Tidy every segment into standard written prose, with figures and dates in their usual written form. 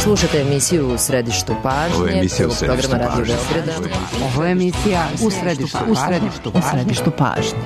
Slušate emisiju U središtu pažnje. Ovo je emisija U središtu programa Radio pažnje. Beograda. Ovo je emisija U središtu pažnje.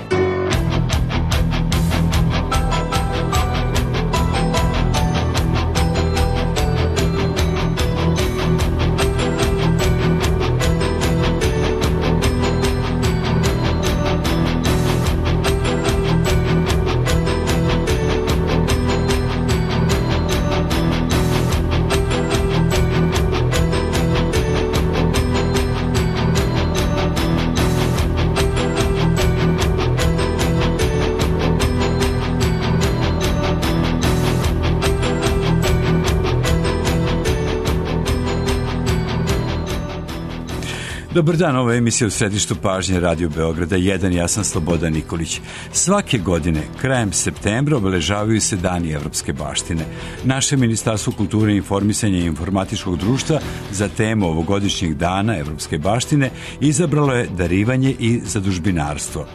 Dobar dan, ovo je emisija U središtu pažnje Radio Beograda 1, ja sam Slobodan Nikolić. Svake godine, krajem septembra, obeležavaju se Dani evropske baštine. Naše Ministarstvo kulture, informisanja i informatičkog društva za temu ovogodišnjeg dana evropske baštine izabralo je darivanje i zadužbinarstvo.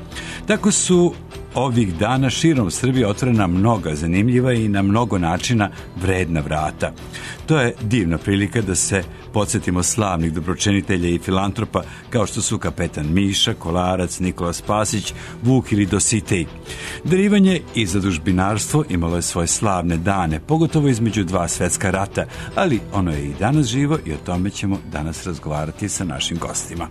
Tako su ovih dana širom Srbije otvorena mnoga zanimljiva i na mnogo načina vredna vrata. To je divna prilika da se podsjetimo slavnih dobročinitelja i filantropa kao što su kapetan Miša, Kolarac, Nikola Spasić, Vuk ili Dositej. Darivanje i zadužbinarstvo imalo je svoje slavne dane, pogotovo između dva svetska rata, ali ono je i danas živo i o tome ćemo danas razgovarati sa našim gostima.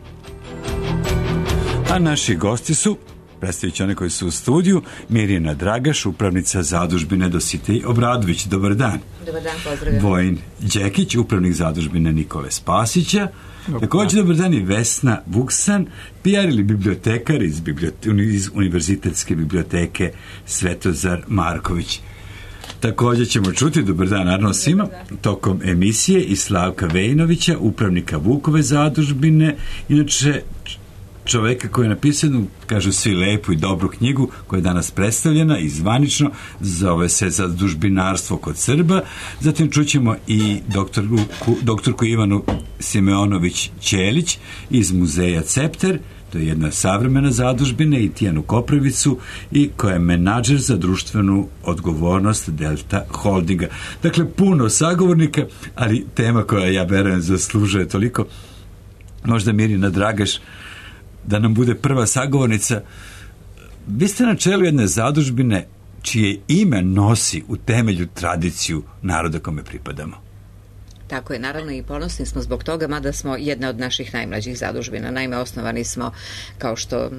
A naši gosti su, predstavit će one koji su u studiju, Mirjana Dragaš, upravnica zadužbine Dositej Obradović. Dobar dan. Dobar dan, pozdravljam. Vojin Đekić, upravnik zadužbine Nikole Spasića. Također dobar dan i Vesna Vuksan, PR ili bibliotekar iz Univerzitetske biblioteke Svetozar Marković. Također ćemo čuti, dobar dan naravno svima, tokom emisije i Slavka Vejnovića, upravnika Vukove zadužbine, inače čoveka koji je napisao jednu, kažu svi, lepu i dobru knjigu koja je danas predstavljena i zvanično, zove se Zadužbinarstvo kod Srba. Zatim čućemo i doktorku Ivanu Simeonović Ćelić iz muzeja Cepter, to je jedna savremena zadužbina, i Tijanu Koprivicu, i koja je menadžer za društvenu odgovornost Delta Holdinga. Dakle, puno sagovornika, ali tema koja, ja verujem, zaslužuje toliko. Možda Mirjana Dragaš da nam bude prva sagovornica. Vi ste na čelu jedne zadužbine čije ime nosi u temelju tradiciju naroda kome pripadamo. Tako je, naravno, i ponosni smo zbog toga, mada smo jedna od naših najmlađih zadužbina. Naime, osnovani smo, kao što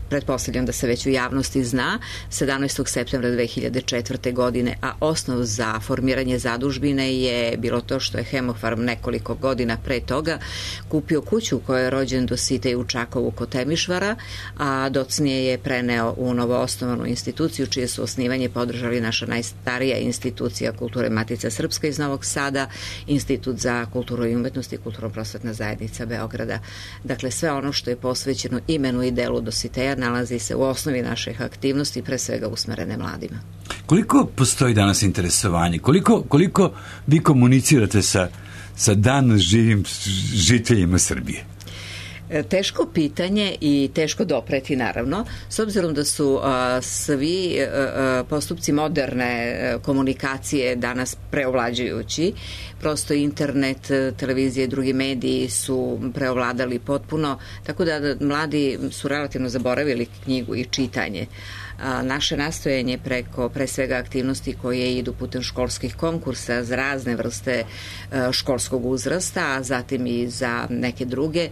pretpostavljam da se već u javnosti zna, 17. septembra 2004. godine, a osnov za formiranje zadužbine je bilo to što je Hemofarm nekoliko godina pre toga kupio kuću u kojoj je rođen Dositej u Čakovu kod Temišvara, a docnije je preneo u novoosnovanu instituciju čije su osnivanje podržali naša najstarija institucija kulture Matica Srpska iz Novog Sada, Institut za kulturu i umetnost i kulturno-prosvetna zajednica Beograda. Dakle, sve ono što je posvećeno imenu i delu Dositeja nalazi se u osnovi naših aktivnosti, pre svega usmerene mladima. Koliko postoji danas interesovanje? Koliko vi komunicirate sa danas živim žiteljima Srbije? Teško pitanje i teško dopreti, naravno, s obzirom da su svi postupci moderne komunikacije danas preovlađujući. Prosto internet, televizije i drugi mediji su preovladali potpuno, tako da mladi su relativno zaboravili knjigu i čitanje. Naše nastojanje preko, pre svega, aktivnosti koje idu putem školskih konkursa za razne vrste školskog uzrasta, a zatim i za neke druge,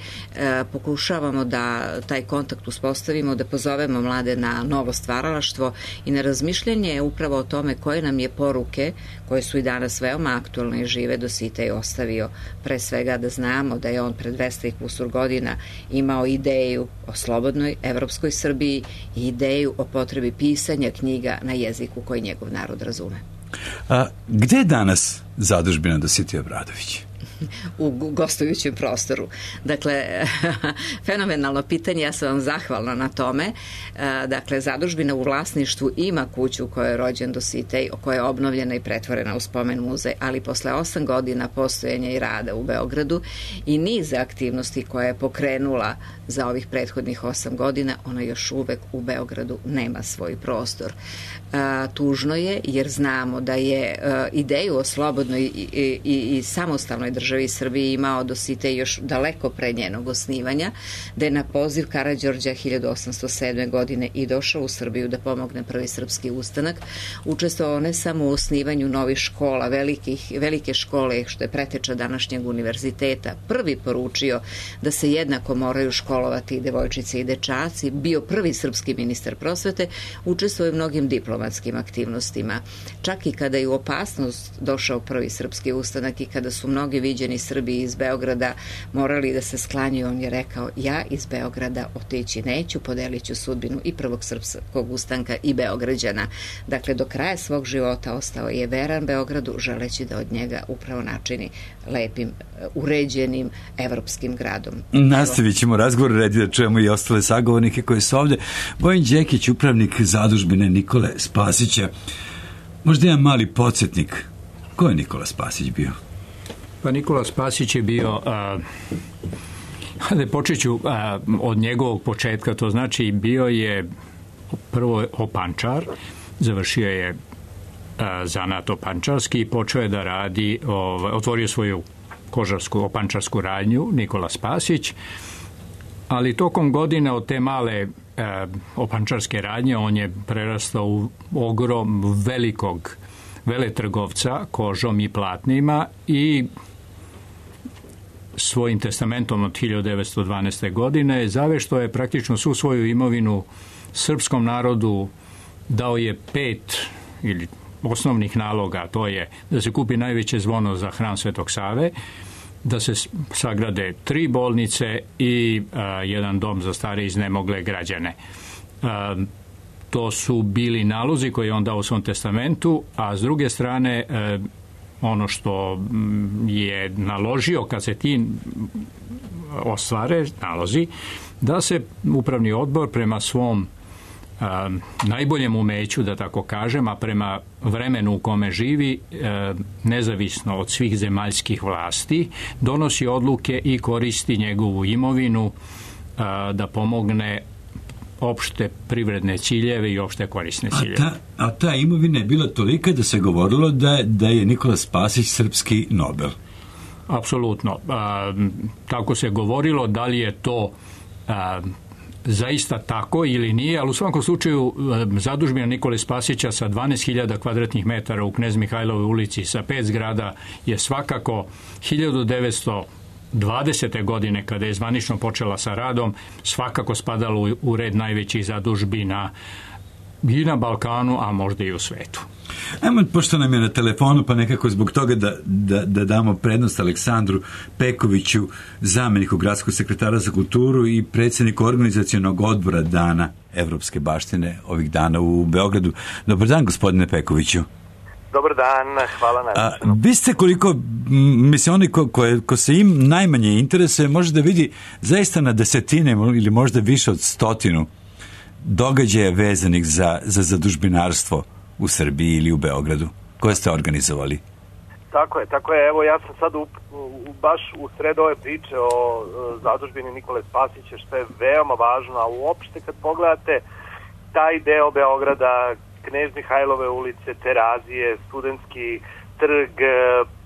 pokušavamo da taj kontakt uspostavimo, da pozovemo mlade na novo stvaralaštvo i na razmišljanje upravo o tome koje nam je poruke, koje su i danas veoma aktualne i žive, Dositej ostavio. Pre svega da znamo da je on pred 200 i kusur godina imao ideju o slobodnoj evropskoj Srbiji i ideju o potrebi pisanja knjiga na jeziku koji njegov narod razume. Gde je danas zadužbina Dositej Obradović? u gostujućem prostoru. Dakle, fenomenalno pitanje, ja sam vam zahvalna na tome. Dakle, zadužbina u vlasništvu ima kuću u kojoj je rođen Dositej, koja je obnovljena i pretvorena u spomen muzej, ali posle 8 godina postojanja i rada u Beogradu i niz aktivnosti koje je pokrenula za ovih prethodnih 8 godina, ona još uvek u Beogradu nema svoj prostor. Tužno je, jer znamo da je ideju o slobodnoj i samostalnoj državi Srbiji imao Dositej još daleko pre njenog osnivanja, da je na poziv Karađorđa 1807. godine i došao u Srbiju da pomogne prvi srpski ustanak, učestvovao ne samo u osnivanju novih škola, velike škole, što je preteča današnjeg univerziteta, prvi poručio da se jednako moraju školovati i devojčice i dečaci, bio prvi srpski ministar prosvete, učestvovao u mnogim diplomatskim aktivnostima. Čak i kada je u opasnost došao prvi srpski ustanak i kada su mnogi viđeni Srbi iz Beograda morali da se sklanjuju, on je rekao: ja iz Beograda otići neću, podelit ću sudbinu i prvog srpskog ustanka i Beograđana. Dakle, do kraja svog života ostao je veran Beogradu, želeći da od njega upravo načini lepim, uređenim evropskim gradom. Nastavit ćemo razgovor, redi da čujemo i ostale sagovornike koji su ovdje. Vojin Đekić, upravnik zadužbine Nikole Spasića. Možda jedan mali podsjetnik. Ko je Nikola Spasić bio? Pa Nikola Spasić je bio, počet ću od njegovog početka, to znači bio je prvo opančar, završio je zanat opančarski i počeo je da radi, otvorio svoju kožarsku opančarsku radnju Nikola Spasić, ali tokom godine od te male opančarske radnje on je prerastao u ogrom velikog veletrgovca kožom i platnima i svojim testamentom od 1912. godine zaveštao je praktično svu svoju imovinu srpskom narodu, dao je 5 ili osnovnih naloga, to je da se kupi najveće zvono za hram Svetog Save, da se sagrade 3 bolnice i jedan dom za stare iznemogle građane. To su bili nalozi koje je on dao u svom testamentu, a s druge strane ono što je naložio kad se ti ostvare nalozi, da se upravni odbor prema svom najboljem umeću, da tako kažem, a prema vremenu u kome živi, nezavisno od svih zemaljskih vlasti, donosi odluke i koristi njegovu imovinu da pomogne opšte privredne ciljeve i opšte korisne ciljeve. A ta imovina je bila tolika da se govorilo da je Nikola Spasić srpski Nobel. Apsolutno. Tako se govorilo, da li je to zaista tako ili nije, ali u svakom slučaju zadužbina Nikole Spasića sa 12.000 kvadratnih metara u Knez Mihajlovoj ulici sa 5 zgrada je svakako 1920. godine, kada je zvanično počela sa radom, svakako spadalo u red najvećih zadužbina i na Balkanu, a možda i u svetu. Ajmo, pošto nam je na telefonu, pa nekako zbog toga da damo prednost Aleksandru Pekoviću, zameniku gradskog sekretara za kulturu i predsjedniku organizacionog odbora Dana Evropske baštine ovih dana u Beogradu. Dobar dan, gospodine Pekoviću. Dobar dan, hvala na vi ste koliko, mislim, oni ko se im najmanje interesuje, može da vidi zaista na desetine ili možda više od 100 događaja vezanih za zadužbinarstvo u Srbiji ili u Beogradu, koje ste organizovali. Tako je. Evo, ja sam sad baš u sred ove priče o zadužbini Nikole Spasića, što je veoma važno, a uopšte kad pogledate taj deo Beograda, Knez Mihajlove ulice, Terazije, Studentski trg,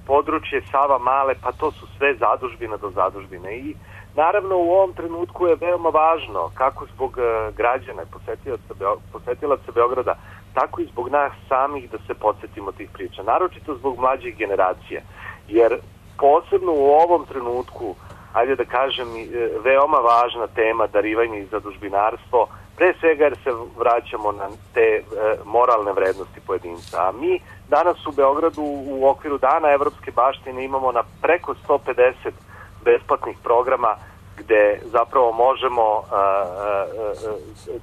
područje Sava Male, pa to su sve zadužbina do zadužbine. I naravno u ovom trenutku je veoma važno, kako zbog građana i posetilaca Beograda, tako i zbog nas samih da se podsjetimo tih priča, naročito zbog mlađih generacija, jer posebno u ovom trenutku, ajde da kažem, veoma važna tema darivanje i zadužbinarstvo, pre svega jer se vraćamo na te moralne vrednosti pojedinca. A mi danas u Beogradu u okviru Dana Evropske baštine imamo na preko 150 besplatnih programa gde zapravo možemo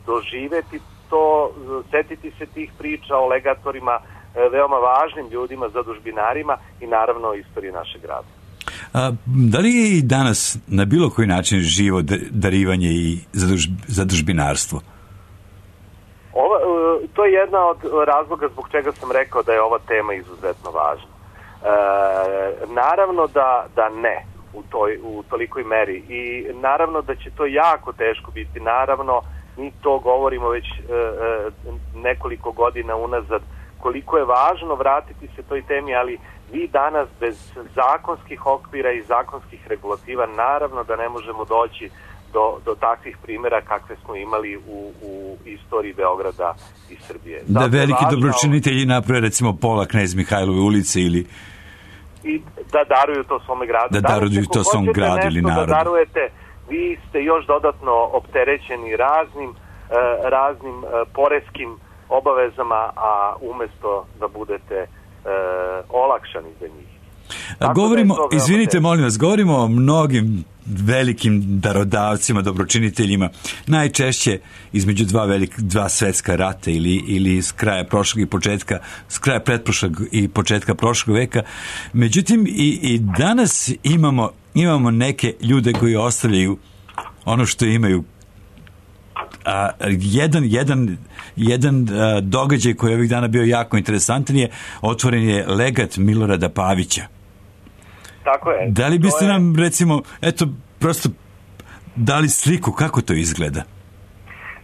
doživeti to, setiti se tih priča o legatorima, veoma važnim ljudima, zadužbinarima i naravno o istoriji našeg grada. Da li je i danas na bilo koji način živo darivanje i zadužbinarstvo? To je jedna od razloga zbog čega sam rekao da je ova tema izuzetno važna. Naravno da ne u tolikoj meri i naravno da će to jako teško biti. Naravno, mi to govorimo već nekoliko godina unazad, koliko je važno vratiti se toj temi, ali vi danas bez zakonskih okvira i zakonskih regulativa naravno da ne možemo doći do takvih primjera kakve smo imali u istoriji Beograda i Srbije. Da veliki dobročinitelji naprave recimo pola Knez Mihajlove ulice ili i da daruju to svome gradu. Da daruju to svom gradu ili narodu. Da darujete, vi ste još dodatno opterećeni raznim poreskim obavezama, a umesto da budete olakšani za njih. Govorimo, izvinite molim vas, govorimo o mnogim velikim darodavcima, dobročiniteljima, najčešće između dva svetska rata ili s kraja pretprošlog i početka prošlog veka. Međutim, i danas imamo neke ljude koji ostavljaju ono što imaju. Jedan događaj koji je ovih dana bio jako interesantan je otvoren je legat Milorada Pavića. Tako je. Da li biste nam, recimo, prosto dali sliku kako to izgleda?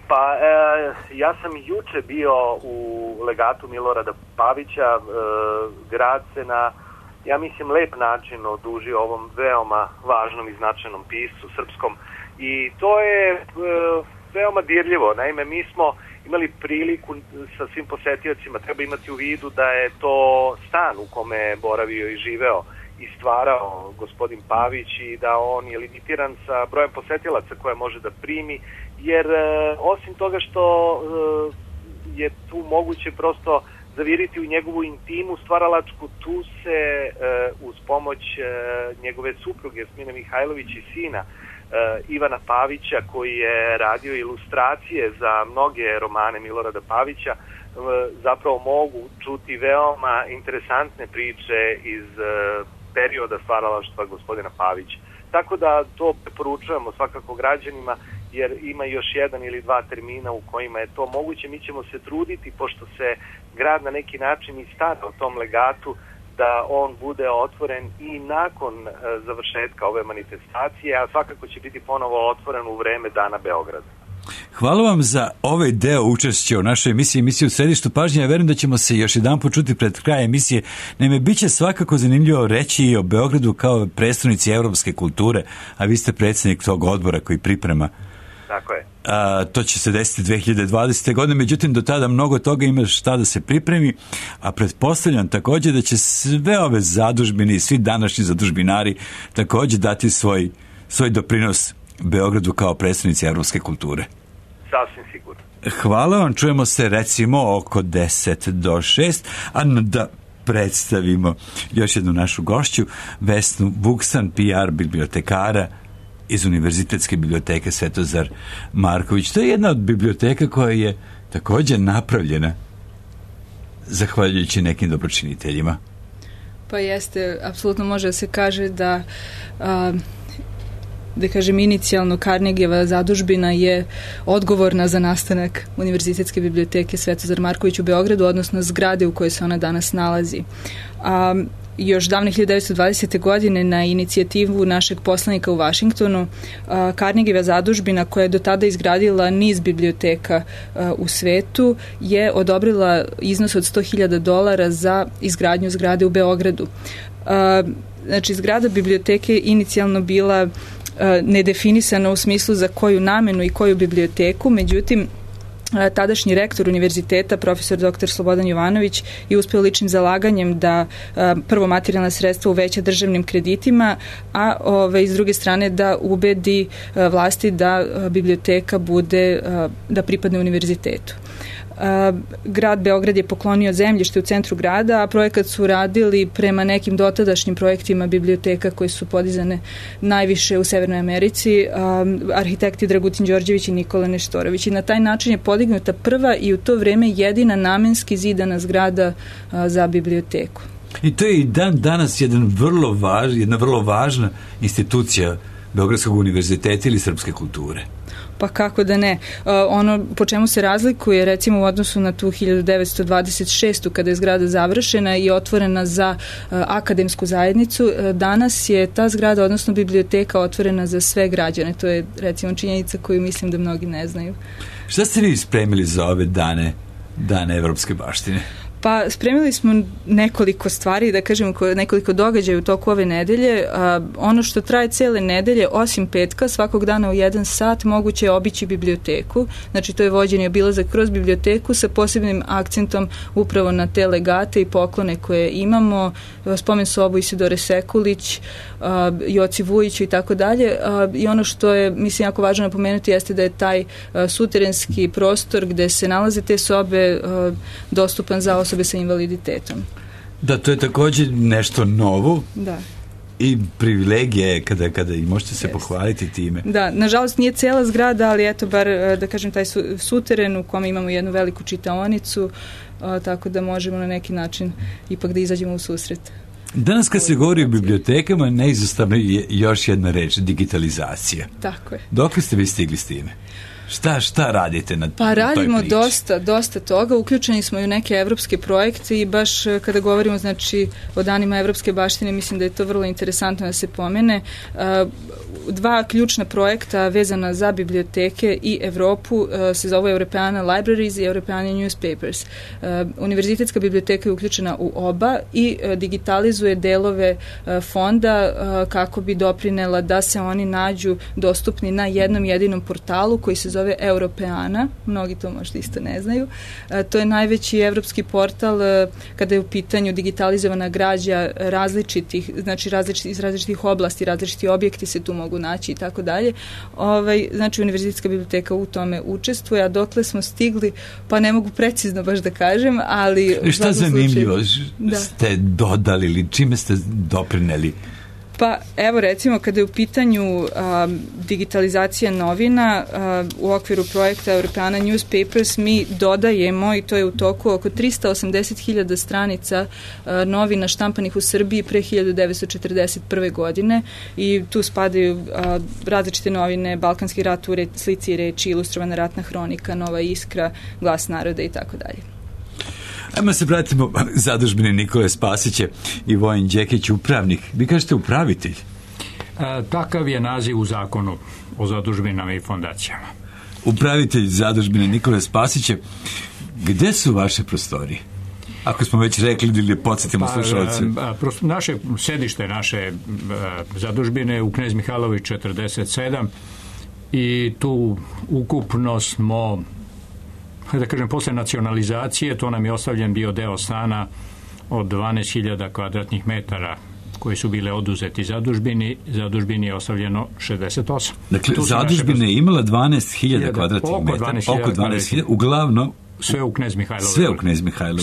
Pa, ja sam juče bio u legatu Milorada Pavića. Grad se na, ja mislim, lep način odužio ovom veoma važnom i značajnom piscu srpskom. I to je veoma dirljivo. Naime, mi smo imali priliku sa svim posetiocima, treba imati u vidu da je to stan u kome je boravio i živeo i stvarao gospodin Pavić i da on je limitiran sa brojem posetilaca koje može da primi, jer osim toga što je tu moguće prosto zaviriti u njegovu intimu stvaralačku, tu se uz pomoć njegove supruge Smine Mihajlović i sina Ivana Pavića, koji je radio ilustracije za mnoge romane Milorada Pavića, zapravo mogu čuti veoma interesantne priče iz perioda stvaralaštva gospodina Pavića. Tako da to preporučujemo svakako građanima, jer ima još jedan ili dva termina u kojima je to moguće. Mi ćemo se truditi, pošto se grad na neki način i stara o tom legatu, da on bude otvoren i nakon završetka ove manifestacije, a svakako će biti ponovo otvoren u vreme Dana Beograda. Hvala vam za ovaj deo učešća u našoj emisiji u Središtu pažnje. Ja verujem da ćemo se još jedan počuti pred kraj emisije. Naime, bit će svakako zanimljivo reći i o Beogradu kao predstavnici evropske kulture, a vi ste predsjednik tog odbora koji priprema. Tako je. To će se desiti 2020. godine, međutim do tada mnogo toga ima šta da se pripremi, a pretpostavljam također da će sve ove zadužbine i svi današnji zadužbinari također dati svoj doprinos Beogradu kao predstavnici evropske kulture. Sasvim sigurno. Hvala vam, čujemo se recimo oko 10 do 6, a da predstavimo još jednu našu gošću, Vesnu Vuksan, PR bibliotekara iz Univerzitetske biblioteke Svetozar Marković. To je jedna od biblioteka koja je također napravljena zahvaljujući nekim dobročiniteljima. Pa jeste, apsolutno može da se kaže da kažem, inicijalno Carnegieva zadužbina je odgovorna za nastanak Univerzitetske biblioteke Svetozar Marković u Beogradu, odnosno zgrade u kojoj se ona danas nalazi. Još davne 1920. godine na inicijativu našeg poslanika u Vašingtonu, Carnegieva zadužbina, koja je do tada izgradila niz biblioteka u svetu, je odobrila iznos od $100.000 za izgradnju zgrade u Beogradu. Znači, zgrada biblioteke inicijalno bila nedefinisana u smislu za koju namenu i koju biblioteku, međutim, tadašnji rektor univerziteta, profesor dr. Slobodan Jovanović, je uspeo ličnim zalaganjem da prvo materijalna sredstva uveća državnim kreditima, a s druge strane da ubedi vlasti da biblioteka bude, da pripadne univerzitetu. Grad Beograd je poklonio zemljište u centru grada, a projekat su radili prema nekim dotadašnjim projektima biblioteka koje su podizane najviše u Severnoj Americi, arhitekti Dragutin Đorđević i Nikola Neštorović. I na taj način je podignuta prva i u to vreme jedina namenski zidana zgrada za biblioteku. I to je i danas jedna vrlo važna institucija Beogradskog univerziteta ili srpske kulture. Pa kako da ne. Ono po čemu se razlikuje recimo u odnosu na tu 1926. kada je zgrada završena i otvorena za akademsku zajednicu, danas je ta zgrada, odnosno biblioteka, otvorena za sve građane. To je recimo činjenica koju mislim da mnogi ne znaju. Šta ste vi spremili za ove dane evropske baštine? Pa spremili smo nekoliko stvari, da kažem nekoliko događaja u toku ove nedelje. Ono što traje cele nedelje, osim petka, svakog dana u 1 sat moguće je obići biblioteku. Znači to je vođenje obilazak kroz biblioteku sa posebnim akcentom upravo na te legate i poklone koje imamo. Spomen sobu Isidore Sekulić, Joci Vujiću i tako dalje. I ono što je, mislim, jako važno napomenuti jeste da je taj suterenski prostor gde se nalaze te sobe dostupan za osobe sa invaliditetom. Da, to je također nešto novo. Da. I privilegija je kada i možete se pohvaliti time. Da, nažalost nije cela zgrada, ali eto bar da kažem taj suteren u kome imamo jednu veliku čitaonicu, tako da možemo na neki način ipak da izađemo u susret. Danas kad se govori o bibliotekama, neizostavno je još jedna reč, digitalizacija. Tako je. Dokle ste vi stigli s time? Šta radite na toj priči? Pa radimo dosta toga, uključeni smo i u neke evropske projekte i baš kada govorimo znači o danima evropske baštine, mislim da je to vrlo interesantno da se pomene. 2 ključna projekta vezana za biblioteke i Evropu se zove Europeana Libraries i Europeana Newspapers. Univerzitetska biblioteka je uključena u oba i digitalizuje delove fonda kako bi doprinela da se oni nađu dostupni na jednom jedinom portalu koji se zove Europeana, mnogi to možda isto ne znaju. To je najveći evropski portal kada je u pitanju digitalizovana građa različitih, znači iz različitih oblasti, različiti objekti se tu mogu naći i tako dalje. Znači Univerzitetska biblioteka u tome učestvuje, a dokle smo stigli, pa ne mogu precizno baš da kažem, ali... Šta zanimljivo ste dodali ili čime ste doprineli? Pa evo recimo kada je u pitanju digitalizacija novina u okviru projekta Europeana Newspapers mi dodajemo, i to je u toku, oko 380.000 stranica novina štampanih u Srbiji pre 1941. godine i tu spadaju različite novine, Balkanski rat u slici i reči, Ilustrovana ratna hronika, Nova iskra, Glas naroda i tako dalje. Ajmo se vratimo zadužbine Nikole Spasića i Vojin Đekić, upravnik. Vi kažete upravitelj? Takav je naziv u zakonu o zadužbinama i fondacijama. Upravitelj zadužbine Nikole Spasića. Gde su vaše prostorije? Ako smo već rekli ili podsjetimo slušalce. Sedište naše zadužbine u Knez Mihajlović 47 i tu ukupno smo, da kažem, posle nacionalizacije, to nam je ostavljen bio deo stana od 12.000 kvadratnih metara koji su bile oduzeti zadužbini je ostavljeno 68. Dakle, zadužbina je imala 12.000 kvadratnih metara, oko 12.000, uglavnom sve u Knez Mihajlovu. Sve u Knez Mihajlovu.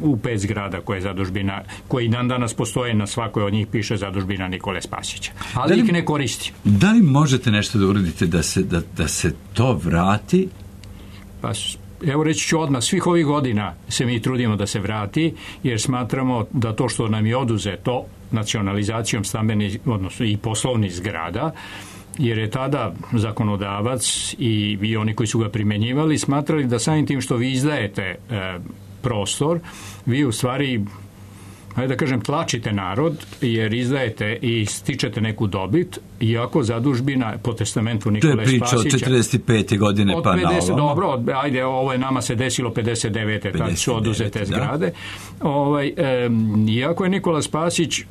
U 5 zgrada koje je zadužbina, koji dan danas postoje, na svakoj od njih piše zadužbina Nikole Spasića. Ali ih ne koristi. Da li možete nešto da uradite da se to vrati? Pa, evo reći ću odmah, svih ovih godina se mi trudimo da se vrati, jer smatramo da to što nam je oduzeto nacionalizacijom stambenih, odnosno i poslovnih zgrada, jer je tada zakonodavac i oni koji su ga primenjivali smatrali da samim tim što vi izdajete prostor, vi u stvari, hajde da kažem, tlačite narod, jer izdajete i stičete neku dobit, iako zadužbina po testamentu Nikole Spasića... To je priča od 45. godine pa na ovom. Dobro, ajde, ovo je nama se desilo 59. tad su oduzete zgrade. Iako je Nikola Spasić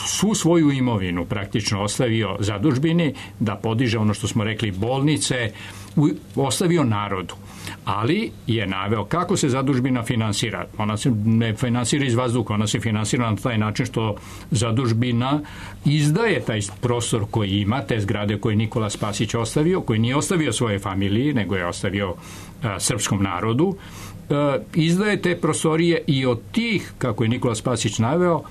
svu svoju imovinu praktično ostavio zadužbini, da podiže ono što smo rekli bolnice, ostavio narodu. Ali je naveo kako se zadužbina finansira. Ona se ne finansira iz vazduha, ona se finansira na taj način što zadužbina izdaje taj prostor koji ima, te zgrade koje Nikola Spasić ostavio, koji nije ostavio svoje familiji, nego je ostavio srpskom narodu, izdaje te prostorije i od tih, kako je Nikola Spasić naveo,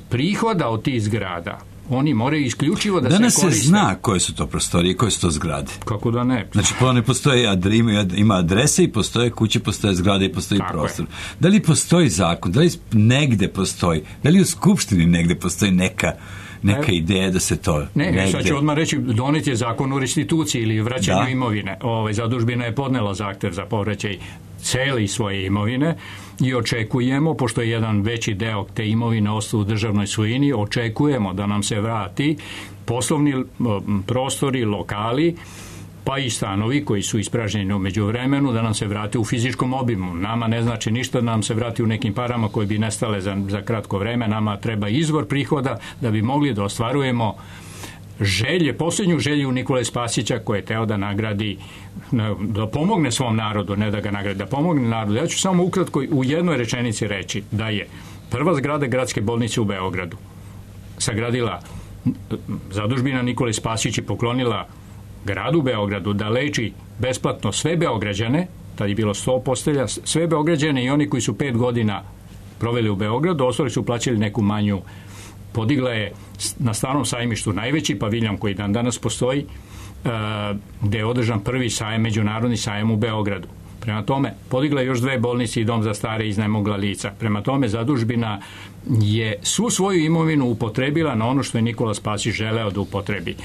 prihoda od tih zgrada oni moraju isključivo da danas se koriste. Danas se zna koje su to prostorije, koje su to zgrade. Kako da ne? Znači, ne postoje, ima adrese i postoje kuće, postoje zgrade i postoji prostor. Je. Da li postoji zakon? Da li negde postoji? Da li u Skupštini negde postoji neka ideja da se to... Ne, sad ću odmah reći, donet je zakon o restituciji ili vraćanju imovine. Zadužbina je podnela zahtev za povraćaj celi svoje imovine i očekujemo, pošto je jedan veći deo te imovine ostao u državnoj svojini, očekujemo da nam se vrati poslovni prostori, lokali, pa i stanovi koji su ispražnjeni u međuvremenu, da nam se vrate u fizičkom obimu. Nama ne znači ništa da nam se vrati u nekim parama koje bi nestale za kratko vreme. Nama treba izvor prihoda da bi mogli da ostvarujemo posljednju želju Nikole Spasića koje je teo da nagradi, da pomogne svom narodu, ne da ga nagradi, da pomogne narodu. Ja ću samo ukratko u jednoj rečenici reći da je prva zgrada gradske bolnice u Beogradu sagradila zadužbina Nikole Spasić i poklonila gradu Beogradu da leči besplatno sve Beograđane, tad je bilo 100 postelja, sve Beograđane i oni koji su 5 godina proveli u Beogradu, ostali su plaćali neku manju. Podigla je na Starom sajmištu najveći paviljon koji dan danas postoji, gde je održan prvi sajam, međunarodni sajam u Beogradu. Prema tome, podigla je još 2 bolnice i dom za stare iznajmogla lica. Prema tome, zadužbina je svu svoju imovinu upotrebila na ono što je Nikola Spasić želeo da upotrebi.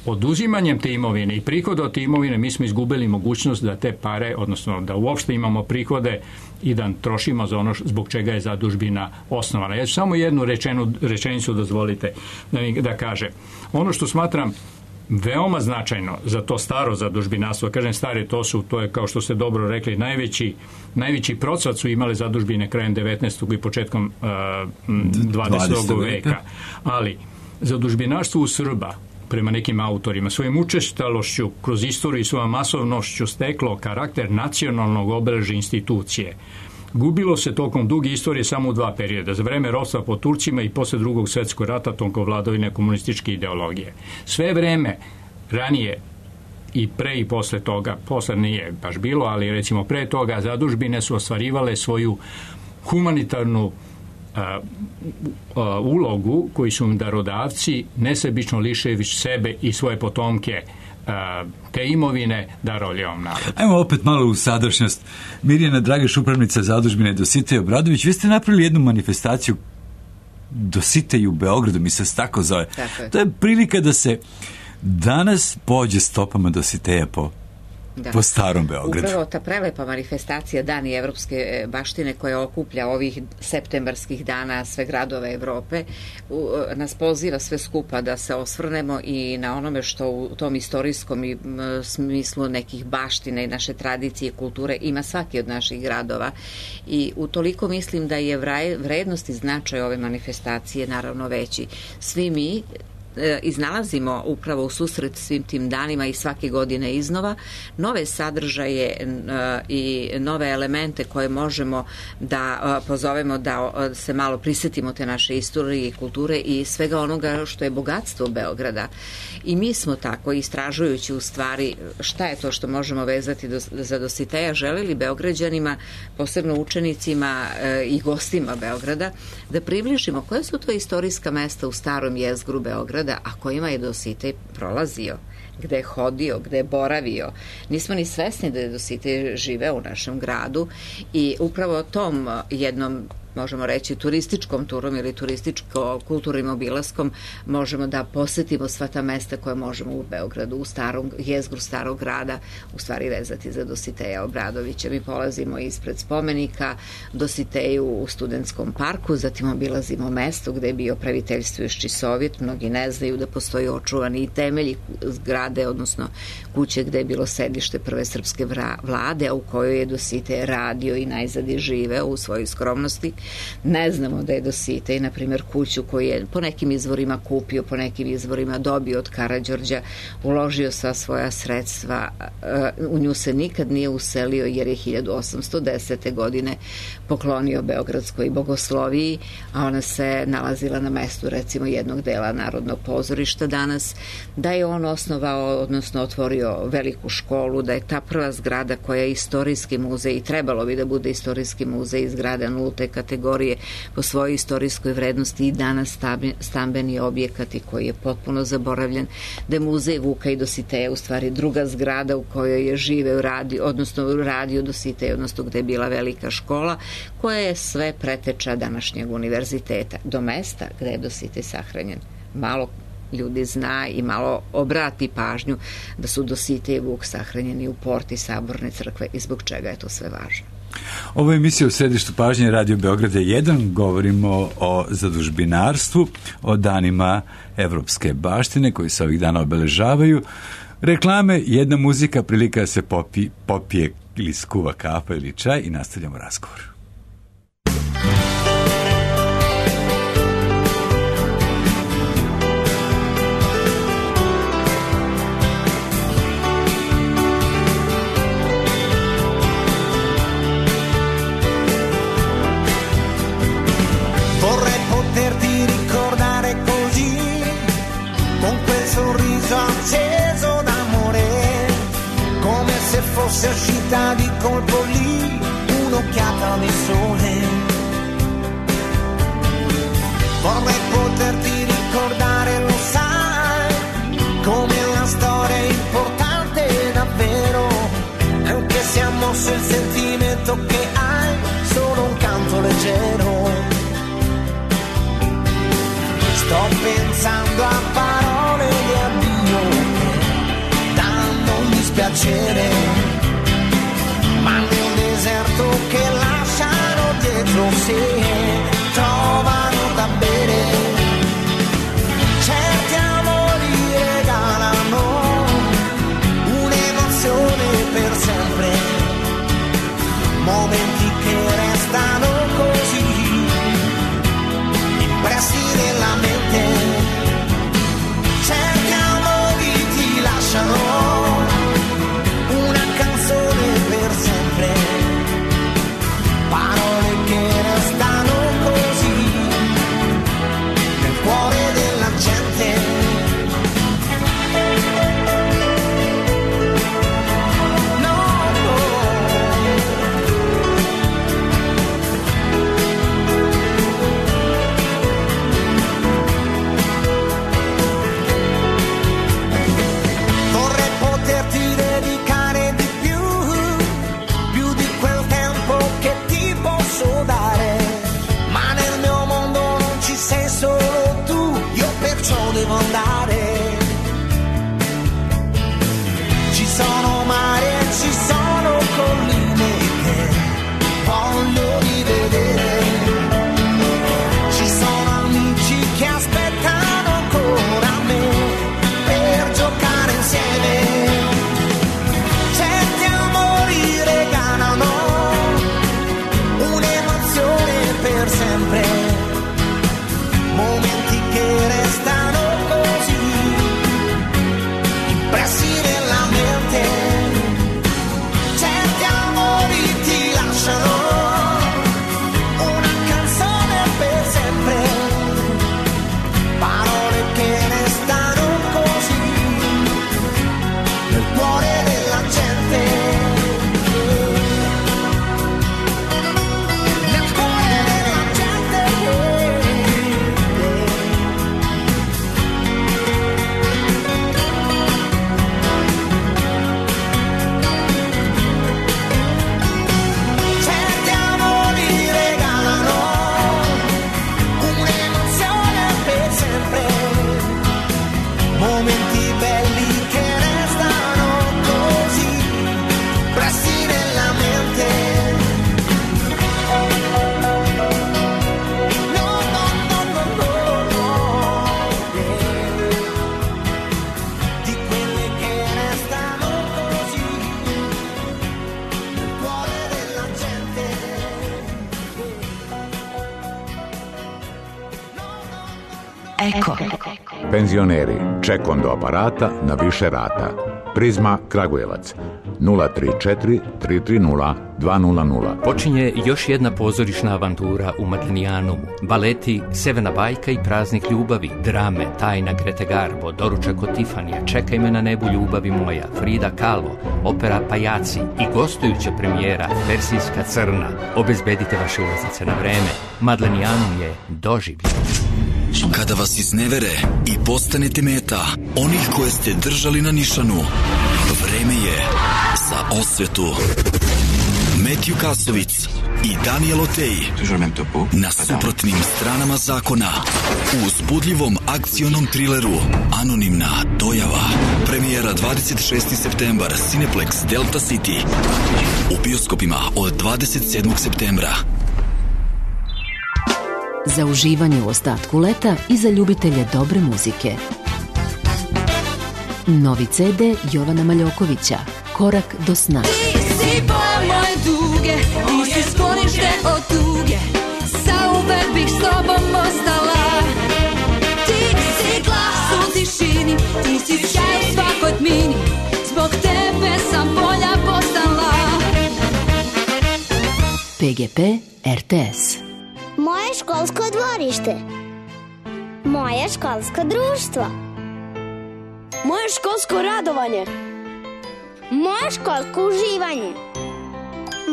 Oduzimanjem te imovine i prihoda od te imovine mi smo izgubili mogućnost da te pare, odnosno da uopšte imamo prihode i da trošimo za ono zbog čega je zadužbina osnovana. Ja ću samo jednu rečenicu dozvolite da kažem. Ono što smatram veoma značajno za to staro zadužbinarstvo, kažem stare, to je kao što ste dobro rekli, najveći procvat su imale zadužbine krajem 19. i početkom 20. veka. Ali zadužbinarstvo u Srba prema nekim autorima, svojim učestalošću kroz istoriju i svojom masovnošću steklo karakter nacionalnog obeležja institucije. Gubilo se tokom duge istorije samo u 2 perioda, za vreme ropstva pod Turcima i posle Drugog svjetskog rata tokom vladavine komunističke ideologije. Sve vreme ranije i pre i posle toga, posle nije baš bilo, ali recimo pre toga zadužbine su ostvarivale svoju humanitarnu ulogu koji su im darodavci nesebično lišević sebe i svoje potomke te imovine darovali ovom narodu. Ajmo opet malo u sadašnjost. Mirjana Drageš, upravnica zadužbine Dositej Obradović, vi ste napravili jednu manifestaciju Dositej u Beogradu, mi se tako zove. Tako je. To je prilika da se danas pođe stopama Dositeja po starom Beogradu. Upravo ta prelepa manifestacija Dani evropske baštine koja okuplja ovih septembarskih dana sve gradove Evrope nas poziva sve skupa da se osvrnemo i na onome što u tom istorijskom smislu nekih baštine i naše tradicije i kulture ima svaki od naših gradova i utoliko mislim da je vrednost i značaj ove manifestacije naravno veći. Svi mi iznalazimo upravo u susret svim tim danima i svake godine iznova nove sadržaje i nove elemente koje možemo da pozovemo da se malo prisjetimo te naše istorije i kulture i svega onoga što je bogatstvo Beograda. I mi smo tako, istražujući u stvari šta je to što možemo vezati za Dositeja, želeli Beograđanima, posebno učenicima i gostima Beograda, da približimo koje su to istorijska mesta u starom jezgru Beograda, a kojima je Dositej prolazio, gde je hodio, gde je boravio. Nismo ni svesni da je Dositej živeo u našem gradu i upravo tom jednom, možemo reći, turističkom turom ili turističko-kulturnim obilaskom možemo da posetimo sva ta mesta koje možemo u Beogradu, u starom jezgru starog grada, u stvari vezati za Dositeja Obradovića. Mi polazimo ispred spomenika Dositeju u Studentskom parku, zatim obilazimo mesto gde je bio praviteljstvujući Sovjet. Mnogi ne znaju da postoji očuvani i temelji zgrade, odnosno kuće gde je bilo sedište prve srpske vlade, a u kojoj je Dositej radio i najzad je živeo u svojoj skromnosti. Ne znamo da je Dositej, na primjer, kuću koju je po nekim izvorima kupio, po nekim izvorima dobio od Karađorđa, uložio sva svoja sredstva, u nju se nikad nije uselio jer je 1810. godine poklonio Beogradskoj bogosloviji, a ona se nalazila na mestu recimo jednog dela Narodnog pozorišta danas, da je on osnovao, odnosno otvorio veliku školu, da je ta prva zgrada koja je istorijski muzej i trebalo bi da bude istorijski muzej, zgrada nulte kategorije, kategorije po svojoj istorijskoj vrednosti i danas stambeni objekati koji je potpuno zaboravljen, da je muzej Vuka i Dositeja u stvari druga zgrada u kojoj je živeo radio Dositej, odnosno gde je bila velika škola, koja je sve preteča današnjeg univerziteta, do mesta gde je Dositej sahranjen. Malo ljudi zna i malo obrati pažnju da su Dositej i Vuk sahranjeni u porti Saborne crkve i zbog čega je to sve važno. Ovo je emisija u središtu pažnje Radio Beograda 1. Govorimo o zadužbinarstvu, o danima evropske baštine koji se ovih dana obeležavaju. Reklame, jedna muzika, prilika da se popije ili skuva kafa ili čaj i nastavljamo razgovor. Fosse uscita di colpo lì un'occhiata di sole. Vorrei poterti ricordare, lo sai, come la storia è importante davvero, anche se ha mosso il sentimento che hai, solo un canto leggero. Sto pensando a parole di addio che danno un dispiacere, ma nel deserto che lasciano dietro sé trovano da bere. Certi amori regalano un'emozione per sempre, momenti che restano così impressi nella mente. Certi amori ti lasciano una canzone per sempre, parole che restano così nel cuore della gente. No, no. Vorrei poterti dedicare di più di quel tempo che ti posso dare, ma nel mio mondo non ci sei solo tu, io perciò devo andare. Ci sono mari e ci sono colline che voglio rivedere, ci sono amici che aspettano ancora me per giocare insieme. Certi amori regalano un'emozione per sempre, momenti che restano così impressi nella mente. Certi amori ti lasciano una canzone per sempre, parole che restano così nel cuore della gente. Nel cuore della gente. Certi amori regalano un'emozione per sempre, momenti belli che restano così impressi nella mente. No, no, no, no, no, no, di quelle che restano così nel cuore della gente. Eko. Penzioneri, ček do aparata na više rata. Prizma Kragujevac 034 330 200. Počinje još jedna pozorišna avantura u Madlenijanumu. Baleti Severna bajka i Praznik ljubavi, drame Tajna Grete Garbo, Doručak od Tifanija, Čekaj me na nebu ljubavi moja, Frida Kahlo, opera Pajaci i gostujuća premijera Persijska crna. Obezbedite vaše ulaznice na vreme. Madlenijanum je doživlje. Kada vas iznevere i postanete meta onih koje ste držali na nišanu, vreme je za osvetu. Metju Kasovic i Daniel Otej na suprotnim stranama zakona u uzbudljivom akcionom trileru Anonimna dojava. Premijera 26. septembar, Cineplex Delta City. U bioskopima od 27. septembra. Za uživanje u ostatku leta i za ljubitelje dobre muzike. Novi CD Jovana Maljokovića, Korak do sna. Ti si boja moje duge, ti si sklonište od tuge, zauvek bih s tobom ostala. Ti si glas u tišini, ti si sjaj u svakoj tmini, zbog tebe sam bolja postala. PGP RTS. Moje školsko dvorište. Moje školsko društvo. Moje školsko radovanje. Moje školsko uživanje.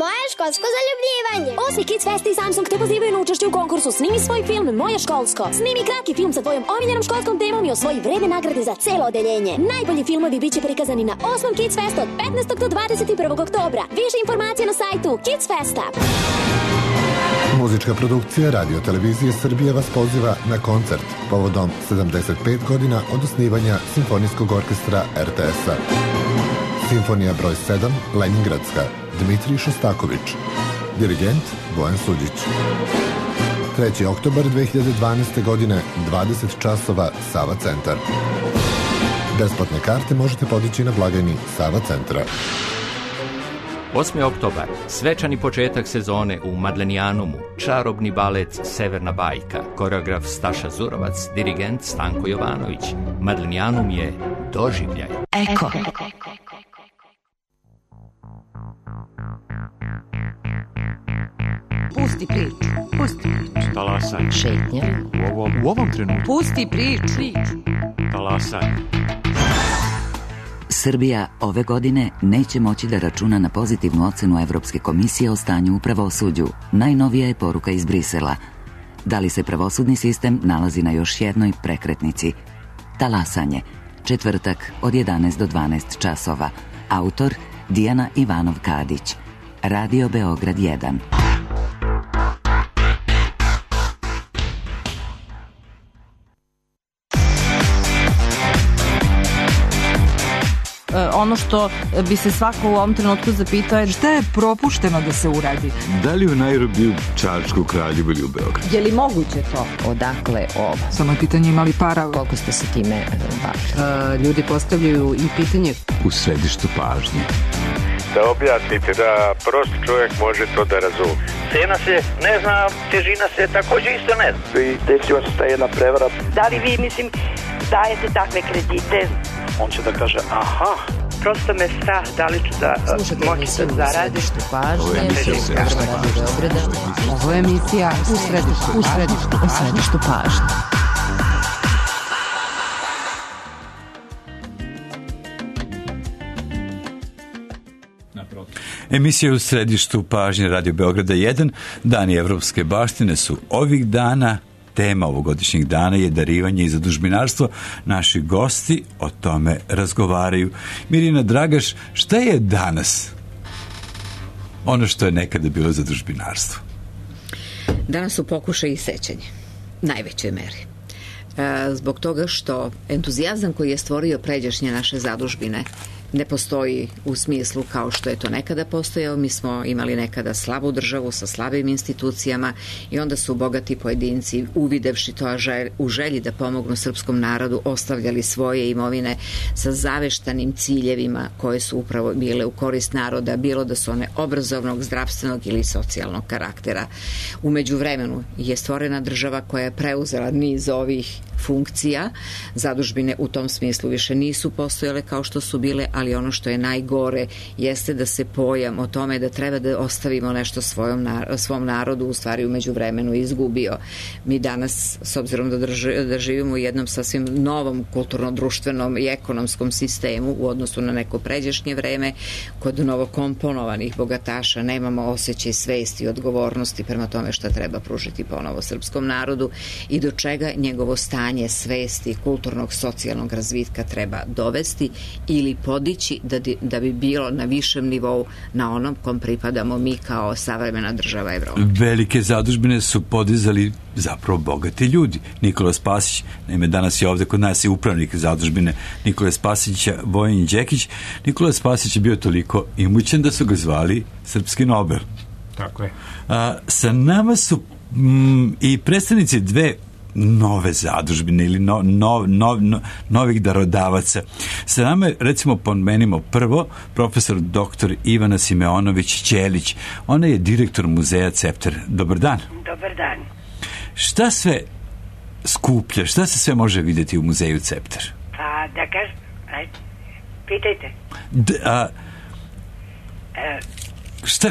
Moje školsko zaljubljivanje. 8. Kids Fest i Samsung te pozivaju na učešće u konkursu Snimi svoj film Moje školsko. Snimi kratki film sa tvojom omiljenom školskom temom i osvoji vredne nagrade za celo odeljenje. Najbolji filmovi biće prikazani na 8. Kids Fest od 15. do 21. oktobra. Više informacija na sajtu Kids Festa. Muzička produkcija Radio Televizije Srbije vas poziva na koncert povodom 75 godina od osnivanja Simfonijskog orkestra RTS-a. Simfonija broj 7, Leningradska, Dmitrij Šostaković. Dirigent Bojan Suđić. 3. oktobar 2012. godine, 20 časova, Sava centar. Besplatne karte možete podići na blagajni Sava centra. 8. oktobar, svečani početak sezone u Madlenijanumu, čarobni balet Severna bajka, koreograf Staša Zurovac, dirigent Stanko Jovanović. Madlenijanum je doživljaj. Eko. Pusti priču. Pusti priču. Talasaj. Šetnja. U ovom trenutku. Pusti priču. Talasaj. Srbija ove godine neće moći da računa na pozitivnu ocenu Evropske komisije o stanju u pravosuđu. Najnovija je poruka iz Brisela. Da li se pravosudni sistem nalazi na još jednoj prekretnici? Talasanje. Četvrtak od 11 do 12 časova. Autor Dijana Ivanov-Kadić. Radio Beograd 1. Ono što bi se svako u ovom trenutku zapitao je šta je propušteno da se uradi. Da li u Nairobiju, Čačku, Kraljevu ili u Beogradu? Je li moguće to? Odakle ovo? Samo je pitanje imali para. Koliko ste se time bavili? Ljudi postavljaju i pitanje. U središtu pažnje. Da objasnite, da prosti čovjek može to da razumije. Cena se ne zna, težina se također isto ne zna. I desila se ta jedna prevara. Da li vi, dajete takve kredite? On će da kaže, aha. Prosto me strah, da li ću da moći da zaradim. Ovo je emisija u središtu pažnje. Emisija u središtu pažnje Radio Beograda 1. Dani evropske baštine su ovih dana. Tema ovogodišnjeg dana je darivanje i zadužbinarstvo. Naši gosti o tome razgovaraju. Mirjana Dragaš, šta je danas ono što je nekada bilo zadužbinarstvo? Danas su pokušaj i sećanje. Najvećoj meri. Zbog toga što entuzijazam koji je stvorio pređašnje naše zadužbine ne postoji u smislu kao što je to nekada postojao. Mi smo imali nekada slabu državu sa slabim institucijama i onda su bogati pojedinci, uvidevši to u želji da pomognu srpskom narodu, ostavljali svoje imovine sa zaveštanim ciljevima koje su upravo bile u korist naroda, bilo da su one obrazovnog, zdravstvenog ili socijalnog karaktera. U međuvremenu je stvorena država koja je preuzela niz ovih funkcija. Zadužbine u tom smislu više nisu postojale kao što su bile, ali ono što je najgore jeste da se pojam o tome da treba da ostavimo nešto svom narodu u stvari u međuvremenu izgubio. Mi danas, s obzirom da živimo u jednom sasvim novom kulturno-društvenom i ekonomskom sistemu u odnosu na neko pređašnje vreme, kod novokomponovanih bogataša nemamo osjećaj svesti i odgovornosti prema tome šta treba pružiti ponovo srpskom narodu i do čega njegovo stanje svesti, kulturnog, socijalnog razvitka treba dovesti ili podići da bi bilo na višem nivou na onom kom pripadamo mi kao savremena država Evrope. Velike zadužbine su podizali zapravo bogati ljudi. Nikola Spasić, naime danas je ovde kod nas i upravnik zadužbine Nikola Spasića, Vojin Đekić. Nikola Spasić je bio toliko imućan da su ga zvali Srpski Nobel. Tako je. Sa nama su i predstavnici dve nove zadužbine ili novih darodavaca. Sa nama je, recimo, pomenimo prvo profesor dr. Ivana Simeonović-Ćelić. Ona je direktor muzeja Cepter. Dobar dan. Dobar dan. Šta sve skuplja, šta se sve može vidjeti u muzeju Cepter? Pa, da kažem, pitajte.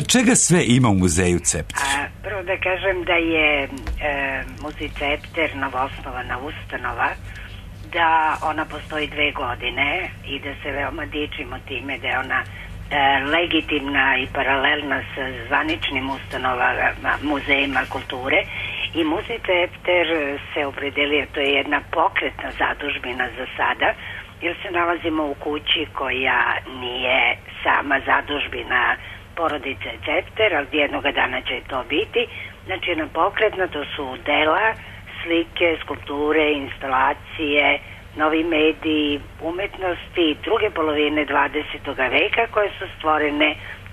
Čega sve ima u muzeju Cepter? Prvo da kažem da je muzej Cepter novoosnovana ustanova, da ona postoji 2 godine i da se veoma dičimo time da je ona legitimna i paralelna sa zvaničnim ustanovama, muzejima kulture. I muzej Cepter se opredelio, to je jedna pokretna zadužbina za sada, jer se nalazimo u kući koja nije sama zadužbina porodice Cepter, ali jednoga dana će to biti. Znači jedna pokretna, to su dela, slike, skulpture, instalacije, novi mediji, umetnosti druge polovine 20. veka koje su stvorene